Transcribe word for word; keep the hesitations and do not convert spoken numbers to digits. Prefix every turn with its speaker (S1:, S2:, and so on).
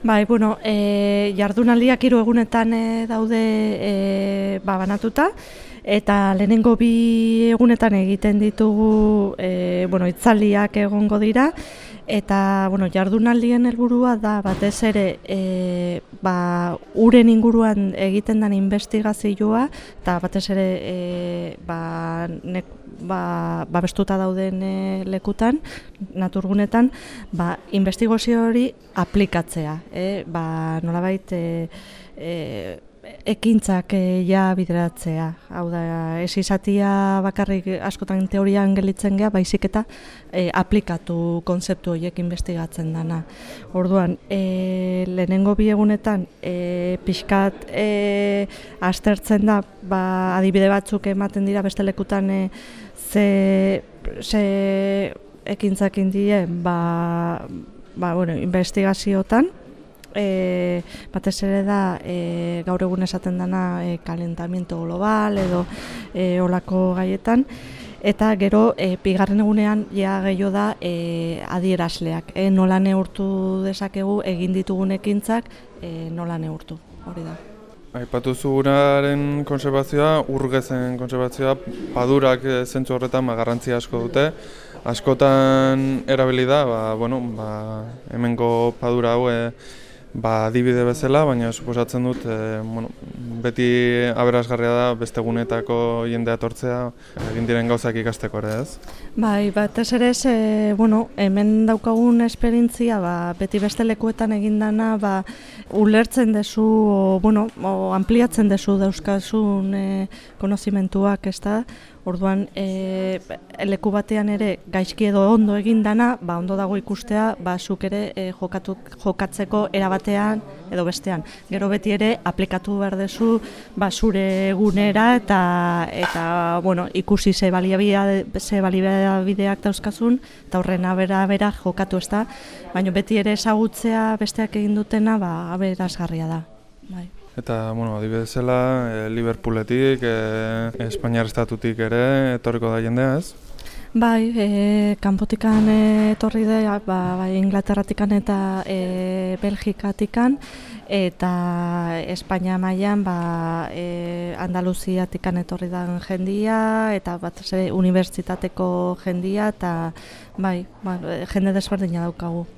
S1: Bai, bueno, e, jardunaldiak hiru egunetan e, daude e, ba, banatuta, eta lehenengo bi egunetan egiten ditugu e, bueno, hitzaldiak egongo dira, eta bueno, jardunaldien helburua da batez ere e, ba, uren inguruan egiten den investigazioa, eta batez ere e, ba, ne, ba, babestuta dauden e, lekutan, naturgunetan, ba, investigazio hori aplikatzea. E, ba, nolabait e, e, ekintzak e, ja bideratzea. Hau da, ez izatia bakarrik askotan teorian gelitzen gea, baizik eta e, aplikatu konzeptu horiek investigatzen dana. Orduan, e, lehenengo bi egunetan e, pixkat e, aztertzen da, ba, adibide batzuk ematen dira beste lekutan e, ze, ze ekintzak indien, ba, ba, bueno, investigaziotan. E, batez ere da e, gaur egun esaten dana e, kalentamiento global edo e, olako gaietan, eta gero e, bigarren egunean ja gehiago da e, adierazleak, e, nola neurtu dezakegu egin ditugun ekintzak, e, nola neurtu, hori da.
S2: Aipatu zu uraren kontserbazioa, urgezen kontserbazioa, padurak zentzu horretan garrantzia asko dute. Askotan erabili da, ba, bueno, ba, hemengo padura hau e, ba, adibide bezala, baina suposatzen dut e, bueno, beti aberasgarria da beste gunetako jendea etortzea egin diren gauzak ikasteko ere, ez?
S1: Bai, batez ere ez, e, bueno, hemen daukagun esperientzia, ba, beti beste lekuetan egindana, ba, ulertzen dezu, o, bueno, o ampliatzen dezu dauzkazun e, konozimentuak, ez da? Orduan, e, leku batean ere gaizki edo ondo egindana, ba, ondo dago ikustea, ba, zuk ere e, jokatu, jokatzeko erabatean edo bestean. Gero beti ere aplikatu behar dezu ba, zure egunera eta, eta bueno, ikusi ze baliabideak ze baliabideak dauzkazun, eta horren abera bera jokatu, ez da, baina beti ere ezagutzea besteak egin dutena, ba, aberazgarria da. Bai.
S2: Eta, bueno, adibidezela, e, Liverpooletik, e, Espainiar estatutik ere etorriko da jendea, ez?
S1: Bai, e, kanpotikan etorri da, ba, bai, Inglaterratikan eta e, Belgikatikan, eta Espainia mailan ba, e, Andaluziatikan etorri da jendia, eta bat ze, unibertsitateko jendia, eta bai, ba, jende desberdina daukagu.